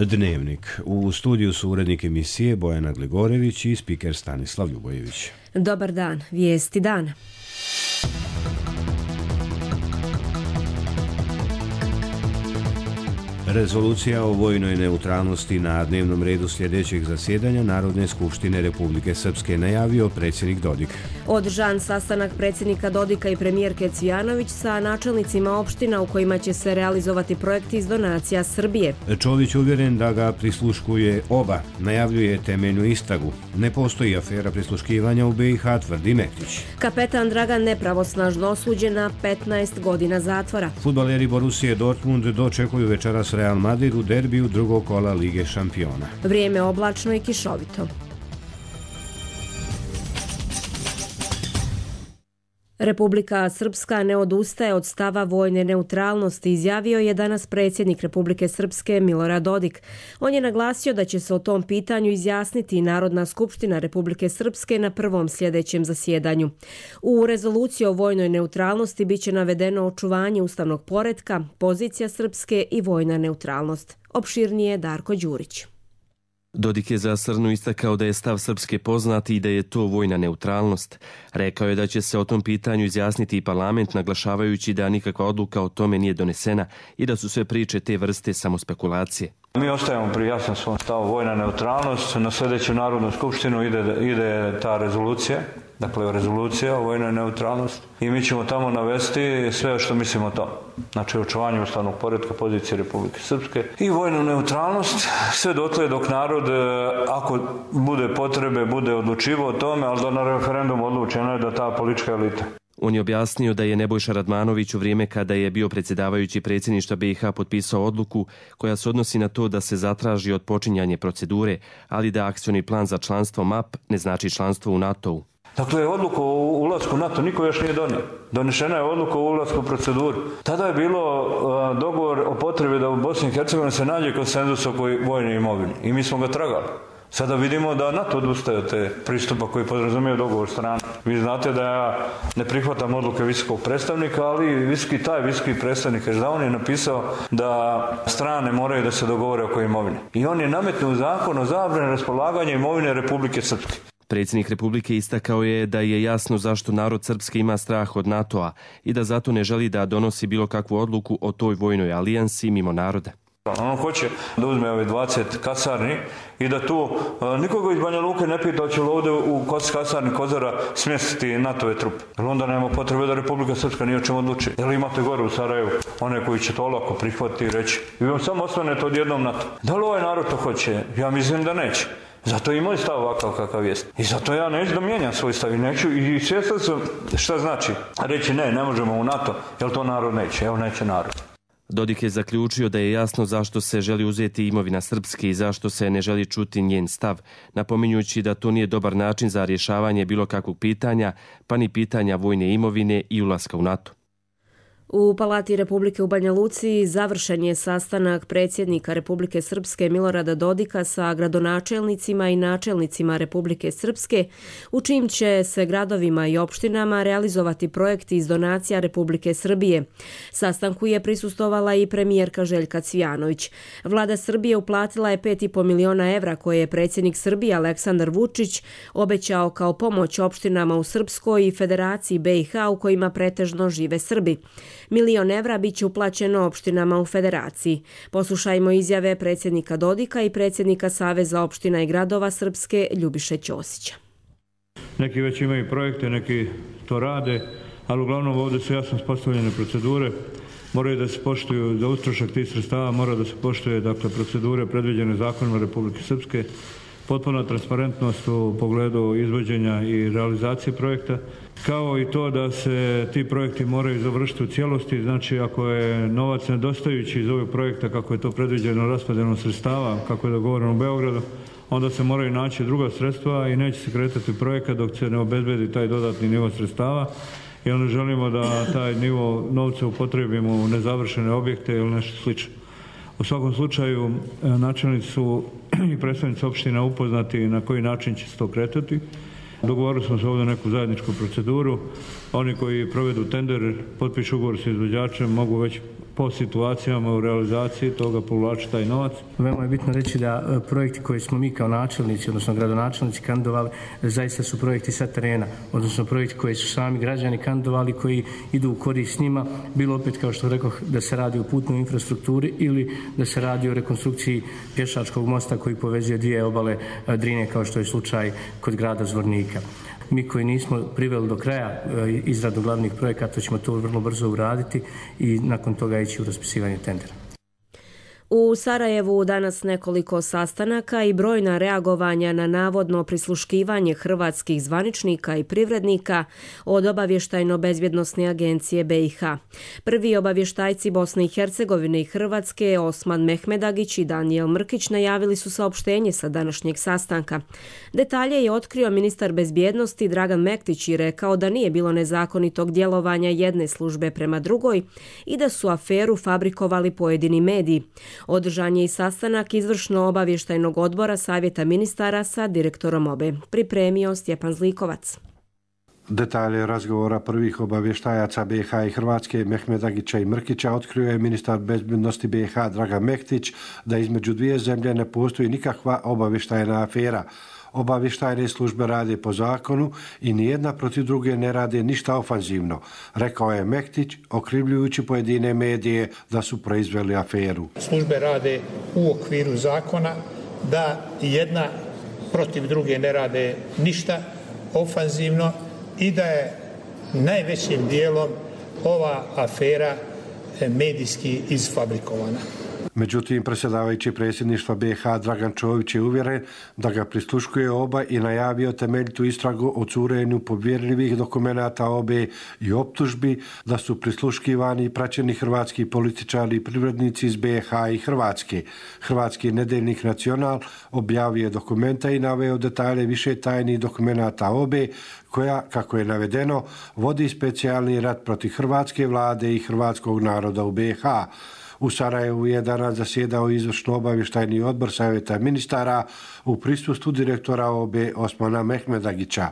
Dnevnik. U studiju su urednik emisije Bojana Gligorević i spiker Stanislav Ljubojević. Dobar dan, vijesti dana. Rezolucija o vojnoj neutralnosti na dnevnom redu sljedećeg zasjedanja Narodne skupštine Republike Srpske najavio predsjednik Dodik. Održan sastanak predsjednika Dodika i premijerke Cvijanović sa načelnicima opština u kojima će se realizovati projekti iz donacija Srbije. Čović uvjeren da ga prisluškuje oba, najavljuje temeljnu istragu. Ne postoji afera prisluškivanja u BiH, tvrdi Mektić. Kapetan Dragan nepravosnažno osuđen na 15 godina zatvora. Fudbaleri Borussije Dortmund dočekuju večeras Real Madrid u derbiju drugog kola Lige šampiona. Vrijeme oblačno i kišovito. Republika Srpska ne odustaje od stava vojne neutralnosti, izjavio je danas predsjednik Republike Srpske Milorad Dodik. On je naglasio da će se o tom pitanju izjasniti Narodna skupština Republike Srpske na prvom sljedećem zasjedanju. U rezoluciji o vojnoj neutralnosti biće navedeno očuvanje ustavnog poretka, pozicija Srpske i vojna neutralnost. Opširnije Darko Đurić. Dodik je za Srnu istakao da je stav Srpske poznat i da je to vojna neutralnost. Rekao je da će se o tom pitanju izjasniti i parlament, naglašavajući da nikakva odluka o tome nije donesena i da su sve priče te vrste samo spekulacije. Mi ostajemo pri jasnom svom stavu vojna neutralnost. Na sljedeću Narodnu skupštinu ide ta rezolucija, dakle rezolucija o vojnoj neutralnosti i mi ćemo tamo navesti sve što mislimo o tom. Znači očuvanje ustavnog poretka, pozicije Republike Srpske i vojnu neutralnost, sve dotle dok narod, ako bude potrebe, bude odlučivo o tome, ali da na referendum odlučeno je da ta politička elita. On je objasnio da je Nebojša Radmanović u vrijeme kada je bio predsjedavajući predsjedništva BiH potpisao odluku koja se odnosi na to da se zatraži odpočinjanje procedure, ali da akcioni plan za članstvo MAP ne znači članstvo u NATO-u. Dakle, odluku o ulasku u NATO niko još nije donio. Donešena je odluka o ulasku u proceduru. Tada je bilo dogovor o potrebi da u Bosni i Hercegovini se nađe konsenzus oko vojne imovine i mi smo ga tragali. Sada vidimo da NATO odustaje od te pristupa koji podrazumije dogovor strana. Vi znate da ja ne prihvatam odluke visokog predstavnika, ali visoki predstavnik on je napisao da strane moraju da se dogovore oko imovine. I on je nametnuo zakon o zabrani raspolaganja imovine Republike Srpske. Predsjednik Republike istakao je da je jasno zašto narod Srpske ima strah od NATO-a i da zato ne želi da donosi bilo kakvu odluku o toj vojnoj alijansi mimo naroda. On hoće da uzme ove 20 kasarni i da tu nikoga iz Banja Luke ne pita hoće li ovdje u kasarni Kozara smjestiti NATO-ve trupe. Jer onda nema potrebe da Republika Srpska nije o čemu odluči. Jer imate gore u Sarajevu one koji će to lako prihvatiti i reći i vam samo osvanete odjednom NATO. Da li ovaj narod to hoće? Ja mislim da neće. Zato i moj stav ovakav kakav jest. I zato ja neću da mijenjam svoj stav i neću. I svjestan sam šta znači reći ne možemo u NATO, jer to narod neće. Evo neće narod. Dodik je zaključio da je jasno zašto se želi uzeti imovina Srpske i zašto se ne želi čuti njen stav, napominjući da to nije dobar način za rješavanje bilo kakvog pitanja, pa ni pitanja vojne imovine i ulaska u NATO. U Palati Republike u Banja Luci završen je sastanak predsjednika Republike Srpske Milorada Dodika sa gradonačelnicima i načelnicima Republike Srpske, u čijim će se gradovima i opštinama realizovati projekti iz donacija Republike Srbije. Sastanku je prisustvovala i premijerka Željka Cvijanović. Vlada Srbije uplatila je 5,5 miliona evra koje je predsjednik Srbije Aleksandar Vučić obećao kao pomoć opštinama u Srpskoj i Federaciji BiH u kojima pretežno žive Srbi. 1 milion evra bit će uplaćeno opštinama u Federaciji. Poslušajmo izjave predsjednika Dodika i predsjednika Saveza opština i gradova Srpske Ljubiše Ćosića. Neki već imaju projekte, neki to rade, ali uglavnom ovdje su jasno postavljene procedure. Moraju da se poštuju za utrošak tih sredstava, mora da se poštuje procedure predviđene zakonima Republike Srpske, potpuna transparentnost u pogledu izvođenja i realizacije projekta, kao i to da se ti projekti moraju završiti u cijelosti. Znači, ako je novac nedostajući iz ovog projekta, kako je to predviđeno raspodjelom sredstava, kako je dogovoreno u Beogradu, onda se moraju naći druga sredstva i neće se kretati projekat dok se ne obezbedi taj dodatni nivo sredstava. I onda želimo da taj nivo novca upotrebimo u nezavršene objekte ili nešto slično. U svakom slučaju, načelnici su i predstavnici opština upoznati na koji način će se to kretati. Dogovorili smo se ovdje neku zajedničku proceduru. Oni koji provedu tender, potpišu ugovor sa izvođačem, mogu već po situacijama u realizaciji toga povlači taj novac. Veoma je bitno reći da projekti koje smo mi kao načelnici, odnosno gradonačelnici kandidovali, zaista su projekti sa terena, odnosno projekti koje su sami građani kandidovali, koji idu u korist njima, bilo opet kao što rekoh da se radi o putnoj infrastrukturi ili da se radi o rekonstrukciji pješačkog mosta koji povezuje dvije obale Drine, kao što je slučaj kod grada Zvornika. Mi koji nismo priveli do kraja izradu glavnih projekata ćemo to vrlo brzo uraditi i nakon toga ići u raspisivanje tendera. U Sarajevu danas nekoliko sastanaka i brojna reagovanja na navodno prisluškivanje hrvatskih zvaničnika i privrednika od obavještajno-bezbjednosne agencije BiH. Prvi obavještajci Bosne i Hercegovine i Hrvatske, Osman Mehmedagić i Danijel Mrkić, najavili su saopštenje sa današnjeg sastanka. Detalje je otkrio ministar bezbjednosti Dragan Mektić i rekao da nije bilo nezakonitog djelovanja jedne službe prema drugoj i da su aferu fabrikovali pojedini mediji. Održan je i sastanak izvršno-obavještajnog odbora Savjeta ministara sa direktorom OBE. Pripremio Stjepan Zlikovac. Detalje razgovora prvih obavještajaca BiH i Hrvatske Mehmedagića i Mrkića otkrio je ministar bezbjednosti BiH Dragan Mektić da između dvije zemlje ne postoji nikakva obavještajna afera. Obavještajne službe rade po zakonu i nijedna protiv druge ne rade ništa ofanzivno, rekao je Mektić, okrivljujući pojedine medije da su proizveli aferu. Službe rade u okviru zakona, da jedna protiv druge ne rade ništa ofanzivno i da je najvećim dijelom ova afera medijski izfabrikovana. Međutim, predsjedavajući predsjedništva BiH Dragan Čović je uvjeren da ga prisluškuje OBA i najavio temeljitu istragu o curenju povjerljivih dokumenata OBE i optužbi da su prisluškivani i praćeni hrvatski političari i privrednici iz BiH i Hrvatske. Hrvatski nedeljnik Nacional objavio je dokumenta i naveo detalje više tajnih dokumenata OBE koja, kako je navedeno, vodi specijalni rat protiv hrvatske vlade i hrvatskog naroda u BiH. U Sarajevu je danas zasjedao izvršno-obavještajni odbor Savjeta ministara u prisustvu direktora OBE Osmana Mehmedagića.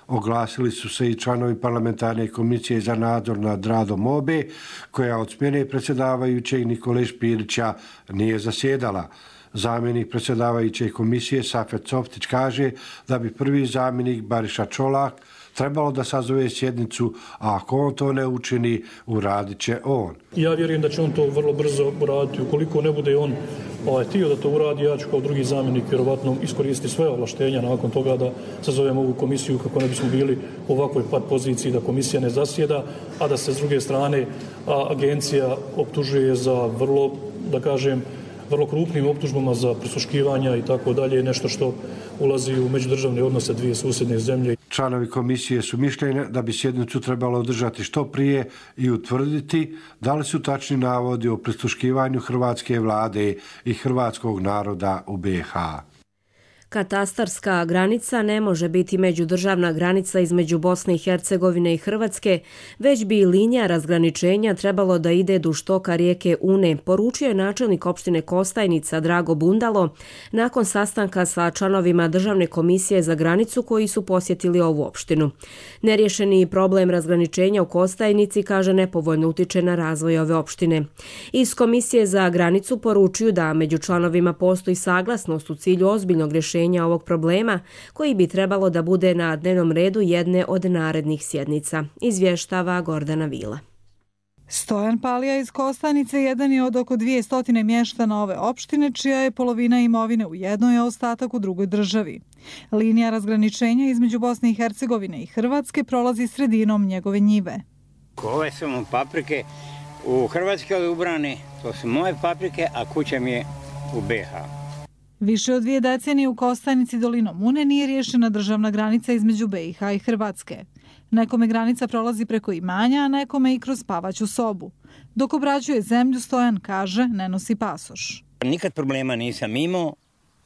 Oglasili su se i članovi parlamentarne komisije za nadzor nad radom OBE, koja od smjene predsjedavajućeg Nikole Špirića nije zasjedala. Zamjenik predsjedavajuće komisije Safet Softić kaže da bi prvi zamjenik Bariša Čolak trebalo da sazove sjednicu, a ako on to ne učini, uradit će on. Ja vjerujem da će on to vrlo brzo uraditi. Ukoliko ne bude on htio da to uradi, ja ću kao drugi zamjenik vjerovatno iskoristiti sve ovlaštenja nakon toga da sazovem ovu komisiju kako ne bismo bili u ovakvoj poziciji da komisija ne zasjeda, a da se s druge strane agencija optužuje za vrlo, da kažem, vrlo krupnim optužbama za prisluškivanja i tako dalje, nešto što ulazi u međudržavne odnose dvije susjedne zemlje. Članovi komisije su mišljenja da bi sjednicu trebalo održati što prije i utvrditi da li su tačni navodi o prisluškivanju hrvatske vlade i hrvatskog naroda u BiH. Katastarska granica ne može biti međudržavna granica između Bosne i Hercegovine i Hrvatske, već bi linija razgraničenja trebalo da ide duž toka rijeke Une, poručio je načelnik opštine Kostajnica Drago Bundalo nakon sastanka sa članovima Državne komisije za granicu koji su posjetili ovu opštinu. Nerješeni problem razgraničenja u Kostajnici, kaže, nepovoljno utiče na razvoj ove opštine. Iz Komisije za granicu poručuju da među članovima postoji saglasnost u cilju ozbiljnog rješenja ovog problema koji bi trebalo da bude na dnevnom redu jedne od narednih sjednica, izvještava Gordana Vila. Stojan Palija iz Kostajnice jedan je od oko 200 mještana ove opštine, čija je polovina imovine u jednoj, a ostatak u drugoj državi. Linija razgraničenja između Bosne i Hercegovine i Hrvatske prolazi sredinom njegove njive. Ove su mu paprike u Hrvatskoj ubrane, to su moje paprike, a kuća mi je u BiH. Više od 2 decenije u Kostajnici dolinom Une nije riješena državna granica između BiH i Hrvatske. Nekome granica prolazi preko imanja, a nekome i kroz spavaću sobu. Dok obrađuje zemlju, Stojan kaže, ne nosi pasoš. Nikad problema nisam imao,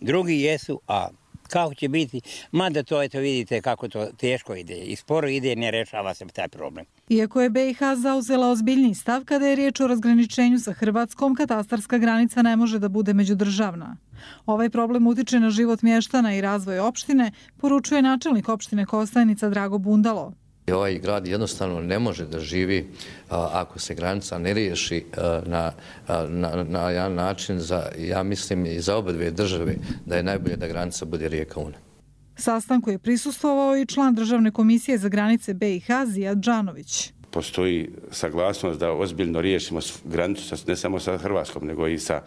drugi jesu, a kako će biti, mada to eto vidite kako to teško ide i sporo ide, ne rešava se taj problem. Iako je BiH zauzela ozbiljniji stav kada je riječ o razgraničenju sa Hrvatskom, katastarska granica ne može da bude međudržavna. Ovaj problem utiče na život mještana i razvoj opštine, poručuje načelnik opštine Kostajnica Drago Bundalo. Ovaj grad jednostavno ne može da živi ako se granica ne riješi na jedan način, ja mislim i za oba dvije države, da je najbolje da granica bude rijeka Una. Sastanku je prisustvovao i član Državne komisije za granice BiH Zijad Džanović. Postoji saglasnost da ozbiljno riješimo granicu ne samo sa Hrvatskom, nego i sa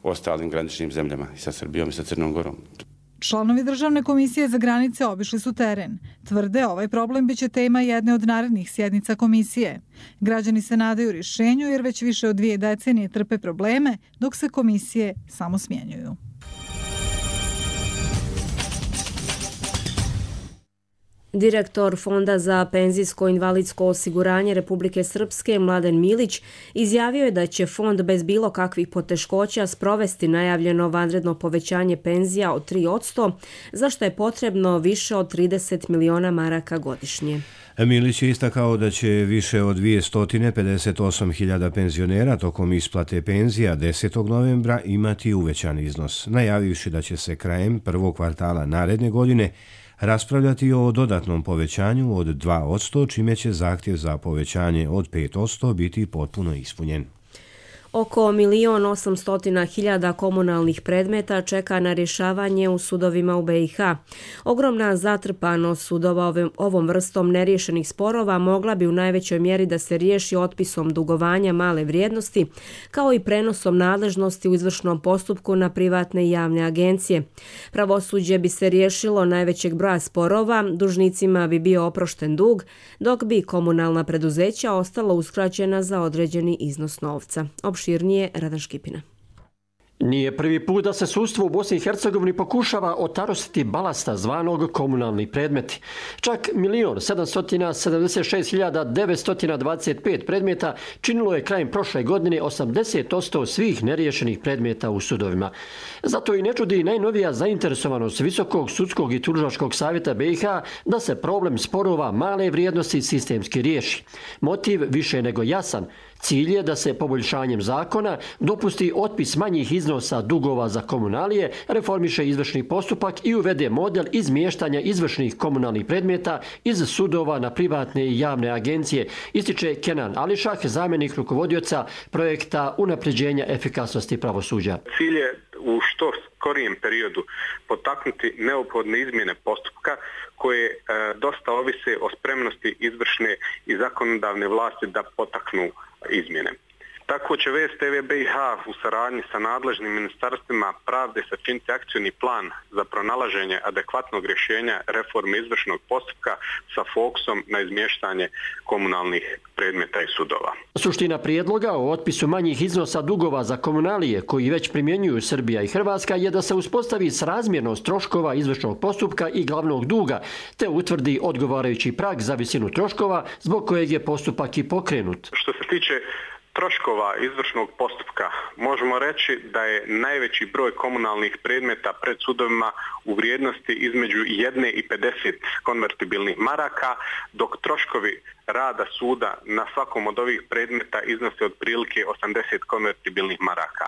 ostalim graničnim zemljama, i sa Srbijom i sa Crnom Gorom. Članovi Državne komisije za granice obišli su teren. Tvrde, ovaj problem biće tema jedne od narednih sjednica komisije. Građani se nadaju rješenju jer već više od 2 decenije trpe probleme, dok se komisije samo smjenjuju. Direktor Fonda za penzijsko-invalidsko osiguranje Republike Srpske Mladen Milić izjavio je da će fond bez bilo kakvih poteškoća sprovesti najavljeno vanredno povećanje penzija od 3%, za što je potrebno više od 30 miliona maraka godišnje. Milić je istakao da će više od 258.000 penzionera tokom isplate penzija 10. novembra imati uvećan iznos, najavivši da će se krajem prvog kvartala naredne godine raspravljati o dodatnom povećanju od 2%, čime će zahtjev za povećanje od 5% biti potpuno ispunjen. Oko 1.800.000 komunalnih predmeta čeka na rješavanje u sudovima u BiH. Ogromna zatrpanost sudova ovom vrstom neriješenih sporova mogla bi u najvećoj mjeri da se riješi otpisom dugovanja male vrijednosti, kao i prenosom nadležnosti u izvršnom postupku na privatne i javne agencije. Pravosuđe bi se riješilo najvećeg broja sporova, dužnicima bi bio oprošten dug, dok bi komunalna preduzeća ostala uskraćena za određeni iznos novca. Opširnije Radan Škipina. Nije prvi put da se sudstvo u Bosni i Hercegovini pokušava otarositi balasta zvanog komunalni predmeti. Čak 1.776.925 predmeta činilo je krajem prošle godine 80% svih neriješenih predmeta u sudovima. Zato i ne čudi najnovija zainteresovanost Visokog sudskog i tužilačkog savjeta BiH da se problem sporova male vrijednosti sistemski riješi. Motiv više nego jasan. Cilj je da se poboljšanjem zakona dopusti otpis manjih iznosa dugova za komunalije, reformiše izvršni postupak i uvede model izmještanja izvršnih komunalnih predmeta iz sudova na privatne i javne agencije, ističe Kenan Ališah, zamjenik rukovodioca projekta unapređenja efikasnosti pravosuđa. Cilj je u što skorijem periodu potaknuti neophodne izmjene postupka koje dosta ovise o spremnosti izvršne i zakonodavne vlasti da potaknu izmjene. Tako će VSTV BiH u saradnji sa nadležnim ministarstvima pravde sačiniti akcijni plan za pronalaženje adekvatnog rješenja reforme izvršnog postupka sa fokusom na izmještanje komunalnih predmeta i sudova. Suština prijedloga o otpisu manjih iznosa dugova za komunalije koji već primjenjuju Srbija i Hrvatska je da se uspostavi srazmjernost troškova izvršnog postupka i glavnog duga, te utvrdi odgovarajući prag za visinu troškova zbog kojeg je postupak i pokrenut. Što se tiče troškova izvršnog postupka možemo reći da je najveći broj komunalnih predmeta pred sudovima u vrijednosti između 1 i 50 konvertibilnih maraka, dok troškovi rada suda na svakom od ovih predmeta iznose otprilike 80 konvertibilnih maraka.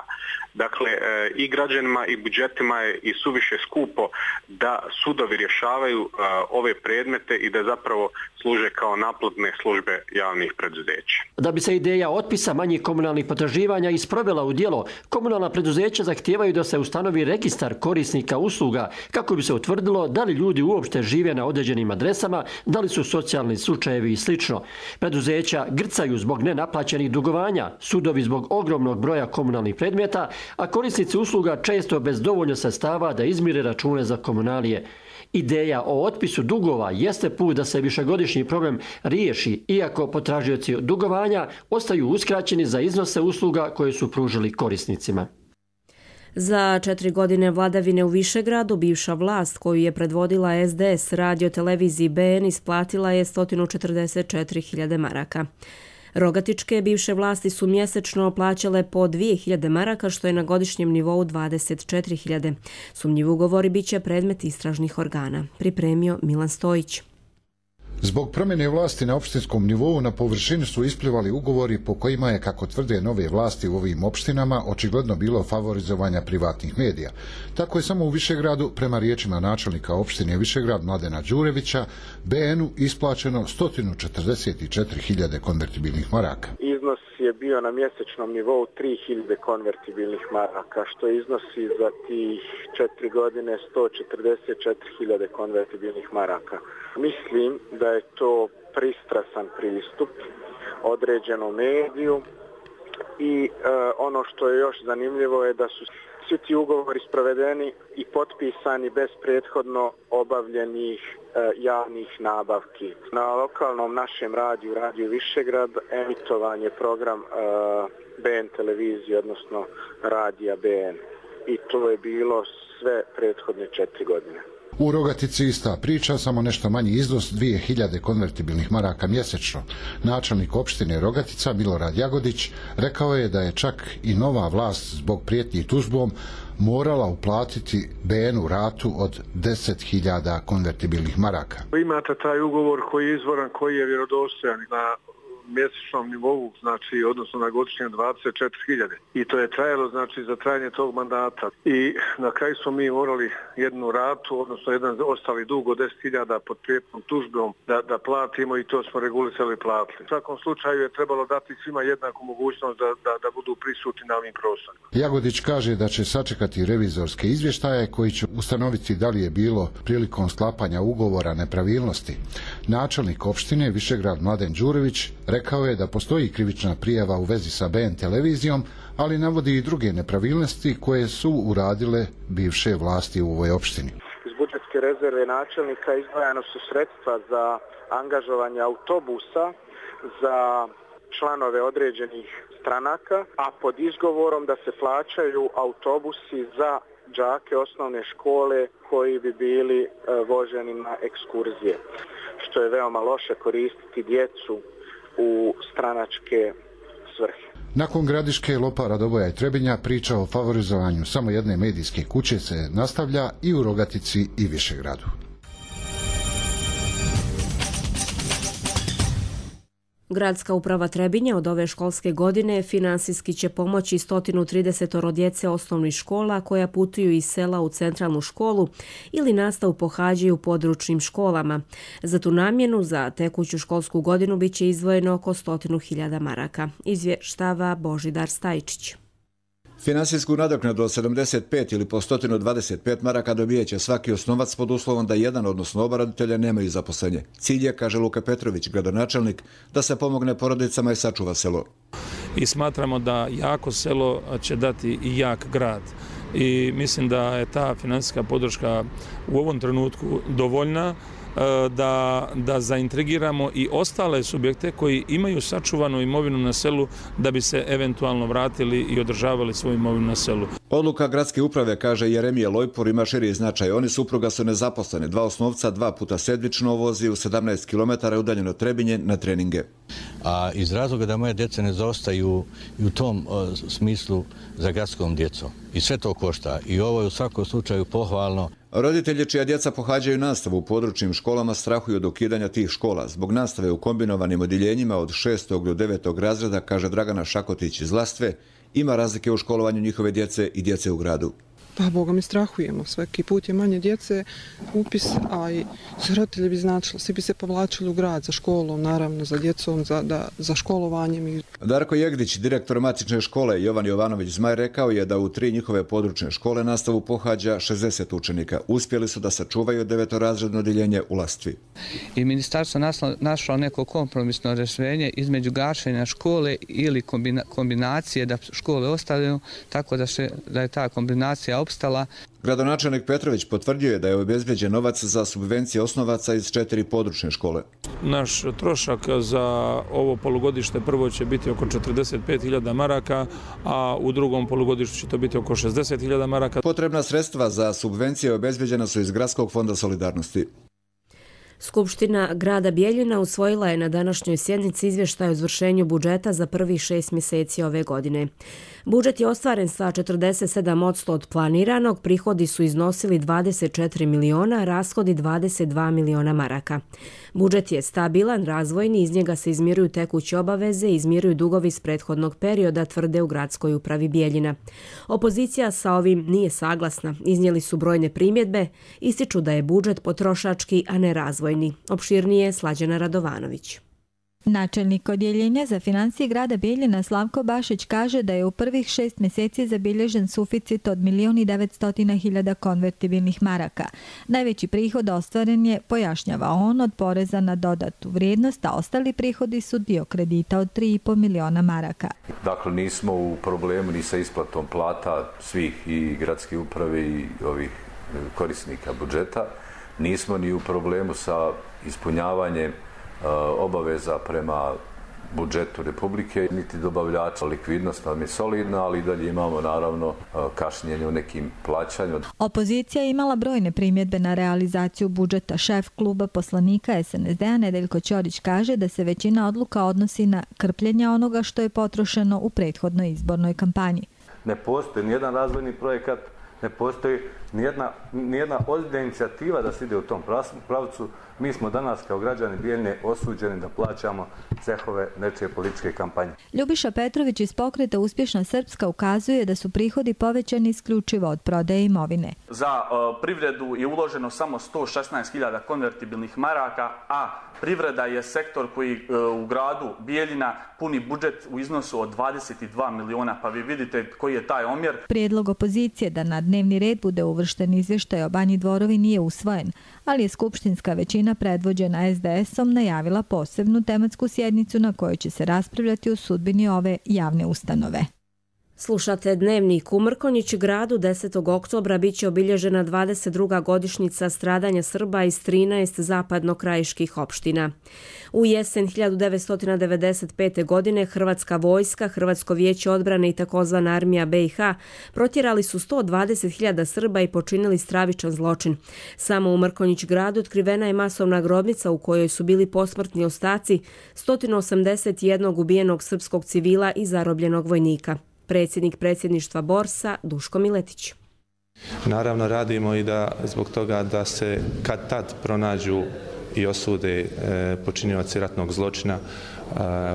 Dakle, i građanima i budžetima je i suviše skupo da sudovi rješavaju ove predmete i da zapravo služe kao naplatne službe javnih preduzeća. Da bi se ideja otpisa manjih komunalnih potraživanja isprovela u djelo, komunalna preduzeća zahtijevaju da se ustanovi registar korisnika usluga kako bi se utvrdilo da li ljudi uopšte žive na određenim adresama, da li su socijalni slučajevi i slično. Preduzeća grcaju zbog nenaplaćenih dugovanja, sudovi zbog ogromnog broja komunalnih predmeta, a korisnici usluga često bez dovoljno sredstava da izmire račune za komunalije. Ideja o otpisu dugova jeste put da se višegodišnji problem riješi, iako potražioci dugovanja ostaju uskraćeni za iznose usluga koje su pružili korisnicima. Za 4 godine vladavine u Višegradu bivša vlast koju je predvodila SDS radio-televiziji BN isplatila je 144.000 maraka. Rogatičke bivše vlasti su mjesečno plaćale po 2.000 maraka, što je na godišnjem nivou 24.000. Sumnjivi ugovori bit će predmet istražnih organa. Pripremio Milan Stojić. Zbog promjene vlasti na opštinskom nivou na površini su isplivali ugovori po kojima je, kako tvrde nove vlasti u ovim opštinama, očigledno bilo favorizovanja privatnih medija. Tako je samo u Višegradu, prema riječima načelnika opštine Višegrad Mladena Đurevića, BN-u isplaćeno 144.000 konvertibilnih maraka. Iznos je bio na mjesečnom nivou 3.000 konvertibilnih maraka, što iznosi za tih 4 godine 144.000 konvertibilnih maraka. Mislim da je to pristrasan pristup određenom mediju i ono što je još zanimljivo je da su svi ti ugovori sprovedeni i potpisani bez prethodno obavljenih javnih nabavki. Na lokalnom našem radiju Višegrad, emitovan je program BN televizije, odnosno radija BN. I to je bilo sve prethodne 4 godine. U Rogatici ista priča, samo nešto manji iznos 2.000 konvertibilnih maraka mjesečno. Načelnik opštine Rogatica Milorad Jagodić rekao je da je čak i nova vlast zbog prijetnji tužbom morala uplatiti BN-u ratu od 10.000 konvertibilnih maraka. Imate taj ugovor koji je izvoran, koji je vjerodostojan na mjesečnom nivou, znači odnosno na godišnjem 24.000. I to je trajalo, znači, za trajanje tog mandata. I na kraju smo mi morali jednu ratu, odnosno jedan ostali dug od 10.000 pod prijetnom tužbom da platimo i to smo regulisali i platili. U svakom slučaju je trebalo dati svima jednaku mogućnost da budu prisutni na ovim prostorima. Jagodić kaže da će sačekati revizorske izvještaje koji će ustanoviti da li je bilo prilikom sklapanja ugovora nepravilnosti. Načelnik opštine Višegrad Mladen Đurević rekao je da postoji krivična prijava u vezi sa BN televizijom, ali navodi i druge nepravilnosti koje su uradile bivše vlasti u ovoj opštini. Iz budžetske rezerve načelnika izdvajano su sredstva za angažovanje autobusa za članove određenih stranaka, a pod izgovorom da se plaćaju autobusi za đake osnovne škole koji bi bili voženi na ekskurzije, što je veoma loše koristiti djecu u stranačke svrhe. Nakon Gradiške, Lopara, Doboja i Trebinja priča o favorizovanju samo jedne medijske kuće se nastavlja i u Rogatici i Višegradu. Gradska uprava Trebinja od ove školske godine finansijski će pomoći 130 djece osnovnih škola koja putuju iz sela u centralnu školu ili nastavu pohađaju u područnim školama. Za tu namjenu za tekuću školsku godinu biće izdvojeno oko 100.000 maraka. Izvještava Božidar Stajčić. Finansijsku nadoknadu od 75 ili po 125 maraka dobijeće svaki osnovac pod uslovom da jedan, odnosno oba roditelja, nemaju zaposlenje. Cilj je, kaže Luka Petrović, gradonačelnik, da se pomogne porodicama i sačuva selo. I smatramo da jako selo će dati i jak grad. I mislim da je ta finansijska podrška u ovom trenutku dovoljna da zaintrigiramo i ostale subjekte koji imaju sačuvanu imovinu na selu da bi se eventualno vratili i održavali svoju imovinu na selu. Odluka gradske uprave, kaže Jeremije Lojpor, ima širi značaj. Oni supruga su nezaposleni, 2 osnovca 2 puta sedmično vozi u 17 km udaljeno Trebinje na treninge. A iz razloga da moje djece ne zaostaju i u tom smislu za gradskom djecom. I sve to košta. I ovo je u svakom slučaju pohvalno. Roditelji čija djeca pohađaju nastavu u područnim školama strahuju od ukidanja tih škola. Zbog nastave u kombinovanim odjeljenjima od 6. do 9. razreda, kaže Dragana Šakotić iz Lastve, ima razlike u školovanju njihove djece i djece u gradu. Pa, Boga mi strahujemo. Svaki put je manje djece, upis, a i roditelji bi značilo, svi bi se povlačili u grad za školom, naravno, za djecom, za školovanjem. Darko Jegdić, direktor matične škole Jovan Jovanović Zmaj, rekao je da u 3 njihove područne škole nastavu pohađa 60 učenika. Uspjeli su da sačuvaju 9-razredno odjeljenje u Lastvi. I ministarstvo našlo neko kompromisno rješenje između gašenja škole ili kombinacije da škole ostaju, tako da je ta kombinacija opstala. Gradonačelnik Petrović potvrdio je da je obezbeđen novac za subvencije osnovaca iz 4 područne škole. Naš trošak za ovo polugodište prvo će biti oko 45.000 maraka, a u drugom polugodištu će to biti oko 60.000 maraka. Potrebna sredstva za subvencije obezbeđena su iz Gradskog fonda solidarnosti. Skupština grada Bijeljina usvojila je na današnjoj sjednici izvještaj o izvršenju budžeta za prvih 6 mjeseci ove godine. Budžet je ostvaren sa 47% od planiranog, prihodi su iznosili 24 miliona, rashodi 22 miliona maraka. Budžet je stabilan, razvojni, iz njega se izmiruju tekuće obaveze i izmiruju dugovi iz prethodnog perioda, tvrde u gradskoj upravi Bijeljina. Opozicija sa ovim nije saglasna, iznijeli su brojne primjedbe, ističu da je budžet potrošački, a ne razvojni. Opširnije Slađana Radovanović. Načelnik odjeljenja za financije grada Bijeljina Slavko Bašić kaže da je u prvih 6 mjeseci zabilježen suficit od 1.900.000 konvertibilnih maraka. Najveći prihod ostvaren je, pojašnjava on, od poreza na dodatu vrijednost, a ostali prihodi su dio kredita od 3,5 miliona maraka. Dakle, nismo u problemu ni sa isplatom plata svih i gradske uprave i ovih korisnika budžeta. Nismo ni u problemu sa ispunjavanjem obaveza prema budžetu Republike, niti dobavljača. Likvidnost nam je solidna, ali dalje imamo naravno kašnjenje u nekim plaćanju. Opozicija je imala brojne primjedbe na realizaciju budžeta. Šef kluba poslanika SNSD-a Nedeljko Ćorić kaže da se većina odluka odnosi na krpljenje onoga što je potrošeno u prethodnoj izbornoj kampanji. Ne postoji nijedan razvojni projekat, ne postoji nijedna ozbiljna inicijativa da se ide u tom pravcu. Mi smo danas kao građani Bijeljine osuđeni da plaćamo cehove nečije političke kampanje. Ljubiša Petrović iz pokreta Uspješna Srpska ukazuje da su prihodi povećani isključivo od prodaje imovine. Za privredu je uloženo samo 116.000 konvertibilnih maraka, a privreda je sektor koji u gradu Bijeljina puni budžet u iznosu od 22 miliona, pa vi vidite koji je taj omjer. Prijedlog opozicije da na dnevni red bude uvršten izvještaj o Banji Dvorovi nije usvojen, ali je skupštinska većina predvođena SDS-om najavila posebnu tematsku sjednicu na kojoj će se raspravljati o sudbini ove javne ustanove. Slušate Dnevnik. U Mrkonjić gradu 10. oktobra biće obilježena 22. godišnjica stradanja Srba iz 13 zapadno-krajiških opština. U jesen 1995. godine Hrvatska vojska, Hrvatsko vijeće odbrane i takozvana armija BiH protjerali su 120.000 Srba i počinili stravičan zločin. Samo u Mrkonjić gradu otkrivena je masovna grobnica u kojoj su bili posmrtni ostaci 181 ubijenog srpskog civila i zarobljenog vojnika. Predsjednik predsjedništva Borsa Duško Miletić. Naravno radimo i da zbog toga da se kad tad pronađu i osude počinioci ratnog zločina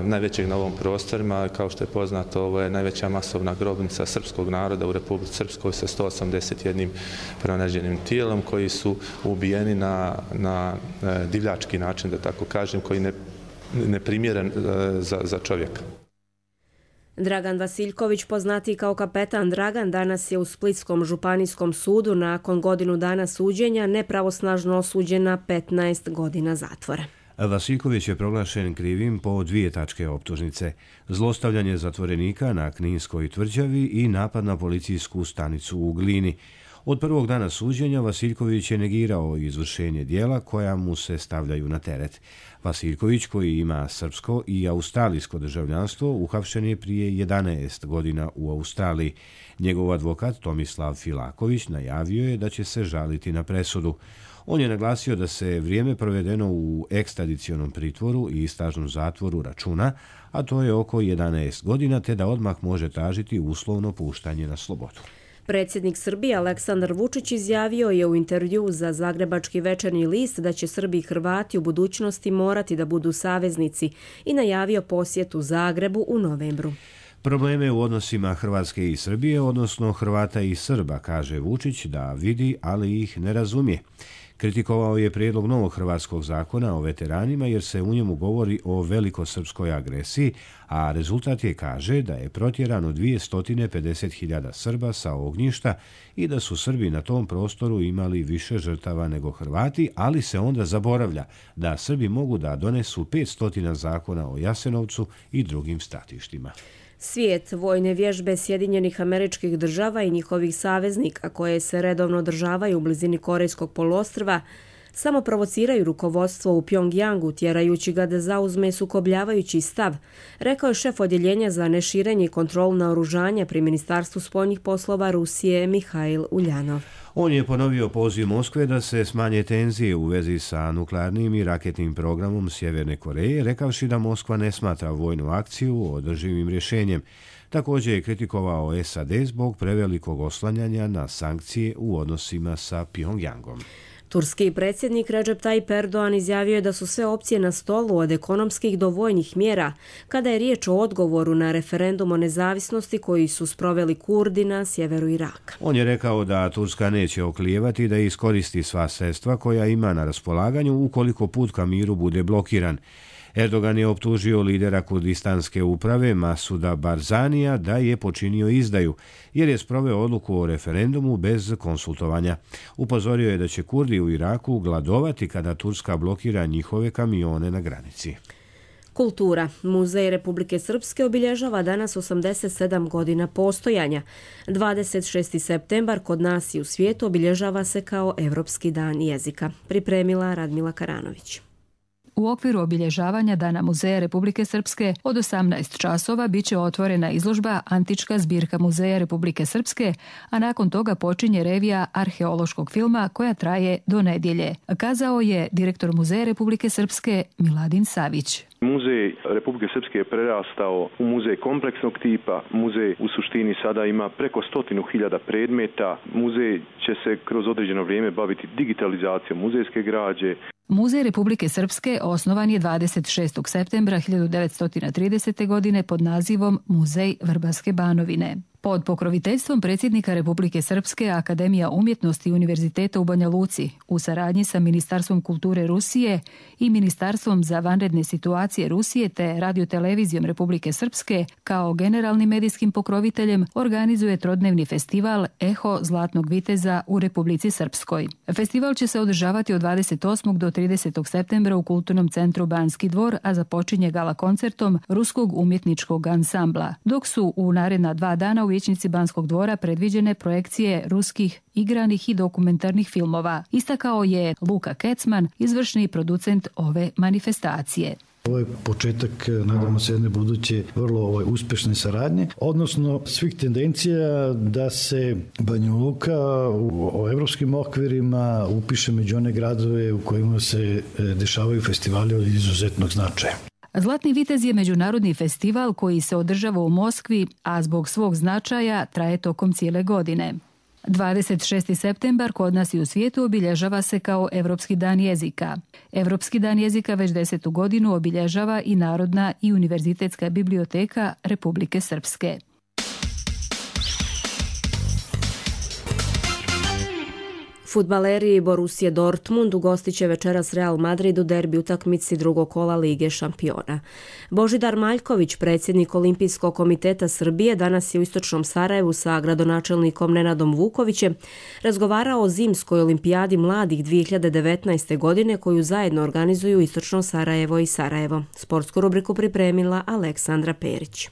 najvećeg na ovom prostorima. Kao što je poznato, ovo je najveća masovna grobnica srpskog naroda u Republici Srpskoj sa 181 pronađenim tijelom koji su ubijeni na divljački način, da tako kažem, koji neprimjeren za čovjeka. Dragan Vasiljković, poznatiji kao kapetan Dragan, danas je u Splitskom županijskom sudu nakon godinu dana suđenja nepravosnažno osuđen na 15 godina zatvora. Vasiljković je proglašen krivim po 2 tačke optužnice: zlostavljanje zatvorenika na Kninskoj tvrđavi i napad na policijsku stanicu u Glini. Od prvog dana suđenja Vasiljković je negirao izvršenje dijela koja mu se stavljaju na teret. Vasiljković, koji ima srpsko i australijsko državljanstvo, uhapšen je prije 11 godina u Australiji. Njegov advokat Tomislav Filaković najavio je da će se žaliti na presudu. On je naglasio da se vrijeme provedeno u ekstradicionom pritvoru i istražnom zatvoru računa, a to je oko 11 godina, te da odmah može tražiti uslovno puštanje na slobodu. Predsjednik Srbije Aleksandar Vučić izjavio je u intervju za Zagrebački večernji list da će Srbi i Hrvati u budućnosti morati da budu saveznici i najavio posjetu Zagrebu u novembru. Probleme u odnosima Hrvatske i Srbije, odnosno Hrvata i Srba, kaže Vučić da vidi, ali ih ne razumije. Kritikovao je prijedlog novog hrvatskog zakona o veteranima jer se u njemu govori o velikosrpskoj agresiji, a rezultat je, kaže, da je protjerano 250.000 Srba sa ognjišta i da su Srbi na tom prostoru imali više žrtava nego Hrvati, ali se onda zaboravlja da Srbi mogu da donesu 500 zakona o Jasenovcu i drugim stratištima. Svijet, vojne vježbe Sjedinjenih Američkih Država i njihovih saveznika koje se redovno održavaju u blizini Korejskog poluostrva samo provociraju rukovodstvo u Pjongjangu, tjerajući ga da zauzme sukobljavajući stav, rekao je šef odjeljenja za neširenje i kontrolu naoružanja pri Ministarstvu spoljnih poslova Rusije Mihail Uljanov. On je ponovio poziv Moskve da se smanje tenzije u vezi sa nuklearnim i raketnim programom Sjeverne Koreje, rekavši da Moskva ne smatra vojnu akciju održivim rješenjem. Također je kritikovao SAD zbog prevelikog oslanjanja na sankcije u odnosima sa Pjongjangom. Turski predsjednik Recep Tayyip Erdogan izjavio je da su sve opcije na stolu od ekonomskih do vojnih mjera kada je riječ o odgovoru na referendum o nezavisnosti koji su sproveli Kurdi na sjeveru Iraka. On je rekao da Turska neće oklijevati da iskoristi sva sredstva koja ima na raspolaganju ukoliko put ka miru bude blokiran. Erdogan je optužio lidera kurdistanske uprave Masuda Barzanija da je počinio izdaju, jer je sproveo odluku o referendumu bez konsultovanja. Upozorio je da će Kurdi u Iraku gladovati kada Turska blokira njihove kamione na granici. Kultura. Muzej Republike Srpske obilježava danas 87 godina postojanja. 26. septembar kod nas i u svijetu obilježava se kao Evropski dan jezika. Pripremila Radmila Karanović. U okviru obilježavanja Dana Muzeja Republike Srpske od 18 časova biće otvorena izložba Antička zbirka Muzeja Republike Srpske, a nakon toga počinje revija arheološkog filma koja traje do nedjelje, kazao je direktor Muzeja Republike Srpske Miladin Savić. Muzej Republike Srpske je prerastao u muzej kompleksnog tipa. Muzej u suštini sada ima preko 100.000 predmeta. Muzej će se kroz određeno vrijeme baviti digitalizacijom muzejske građe. Muzej Republike Srpske osnovan je 26. septembra 1930. godine pod nazivom Muzej Vrbarske Banovine. Pod pokroviteljstvom predsjednika Republike Srpske Akademija umjetnosti Univerziteta u Banja Luci u saradnji sa Ministarstvom kulture Rusije i Ministarstvom za vanredne situacije Rusije te radiotelevizijom Republike Srpske kao generalnim medijskim pokroviteljem organizuje trodnevni festival Eho Zlatnog viteza u Republici Srpskoj. Festival će se održavati od 28. do 30. septembra u Kulturnom centru Banski dvor, a započinje gala koncertom Ruskog umjetničkog ansambla, dok su u naredna 2 dana u vijećnici Banskog dvora predviđene projekcije ruskih igranih i dokumentarnih filmova, istakao je Luka Kecman, izvršni producent ove manifestacije. Ovo je početak, nadamo se, jedne buduće vrlo uspješne saradnje, odnosno svih tendencija da se Banja Luka u evropskim okvirima upiše među one gradove u kojima se dešavaju festivali od izuzetnog značaja. Zlatni vitez je međunarodni festival koji se održava u Moskvi, a zbog svog značaja traje tokom cijele godine. 26. septembar kod nas i u svijetu obilježava se kao Evropski dan jezika. Evropski dan jezika već 10. godinu obilježava i Narodna i Univerzitetska biblioteka Republike Srpske. Fudbaleri Borussia Dortmund ugostit će večeras Real Madrid u derbi utakmici drugog kola Lige šampiona. Božidar Maljković, predsjednik Olimpijskog komiteta Srbije, danas je u istočnom Sarajevu sa gradonačelnikom Nenadom Vukovićem razgovarao o zimskoj olimpijadi mladih 2019. godine koju zajedno organizuju Istočno Sarajevo i Sarajevo. Sportsku rubriku pripremila Aleksandra Perić.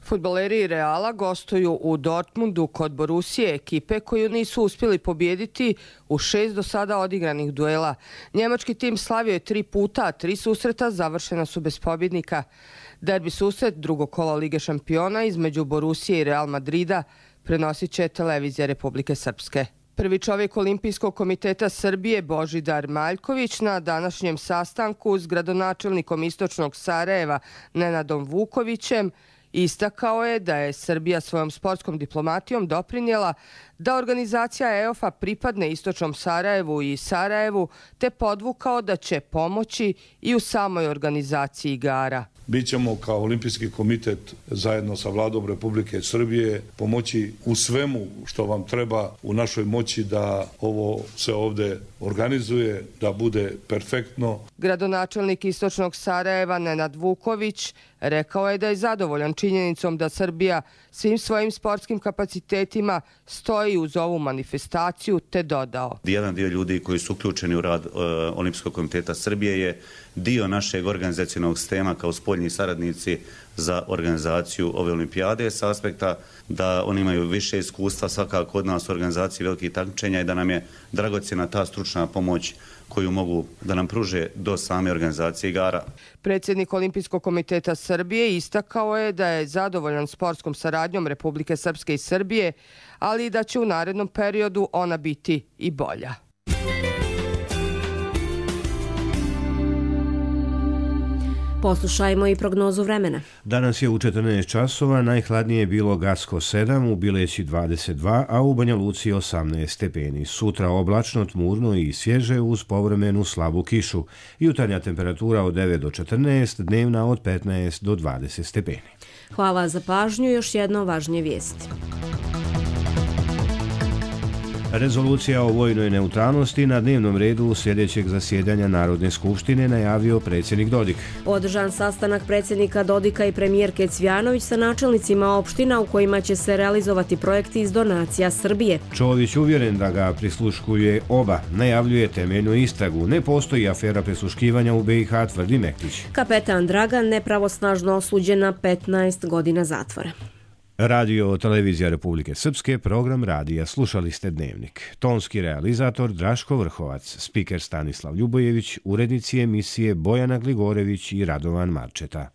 Fudbaleri Reala gostuju u Dortmundu kod Borussije, ekipe koju nisu uspjeli pobijediti u 6 do sada odigranih duela. Njemački tim slavio je 3 puta, a 3 susreta završena su bez pobjednika. Derbi susret drugog kola Lige šampiona između Borussije i Real Madrida prenosit će televizija Republike Srpske. Prvi čovjek Olimpijskog komiteta Srbije Božidar Maljković na današnjem sastanku s gradonačelnikom Istočnog Sarajeva Nenadom Vukovićem istakao je da je Srbija svojom sportskom diplomatijom doprinijela da organizacija EOF-a pripadne Istočnom Sarajevu i Sarajevu, te podvukao da će pomoći i u samoj organizaciji igara. Bićemo kao Olimpijski komitet zajedno sa Vladom Republike Srbije pomoći u svemu što vam treba u našoj moći da ovo se ovdje organizuje, da bude perfektno. Gradonačelnik Istočnog Sarajeva Nenad Vuković rekao je da je zadovoljan činjenicom da Srbija svim svojim sportskim kapacitetima stoji uz ovu manifestaciju, te dodao. Jedan dio ljudi koji su uključeni u rad Olimpijskog komiteta Srbije je dio našeg organizacionog sistema kao spoljni saradnici za organizaciju ove olimpijade s aspekta da oni imaju više iskustva svakako od nas u organizaciji velikih takmičenja i da nam je dragocjena ta stručna pomoć koju mogu da nam pruže do same organizacije igara. Predsjednik Olimpijskog komiteta Srbije istakao je da je zadovoljan sportskom saradnjom Republike Srpske i Srbije, ali i da će u narednom periodu ona biti i bolja. Poslušajmo i prognozu vremena. Danas je u 14 časova, najhladnije je bilo Gacko 7, u Bileći 22, a u Banja Luci 18 stepeni. Sutra oblačno, tmurno i svježe uz povremenu slabu kišu. Jutarnja temperatura od 9 do 14, dnevna od 15 do 20 stepeni. Hvala za pažnju, još jedno važnije vijesti. Rezolucija o vojnoj neutralnosti na dnevnom redu sljedećeg zasjedanja Narodne skupštine najavio predsjednik Dodik. Održan sastanak predsjednika Dodika i premijerke Cvjanović sa načelnicima opština u kojima će se realizovati projekti iz donacija Srbije. Čović uvjeren da ga prisluškuje oba, najavljuje temeljnu istragu. Ne postoji afera prisluškivanja u BiH, tvrdi Mektić. Kapetan Dragan nepravosnažno osuđen na 15 godina zatvora. Radio Televizija Republike Srpske, program radija. Slušali ste Dnevnik. Tonski realizator Draško Vrhovac, spiker Stanislav Ljubojević, urednici emisije Bojana Gligorević i Radovan Marčeta.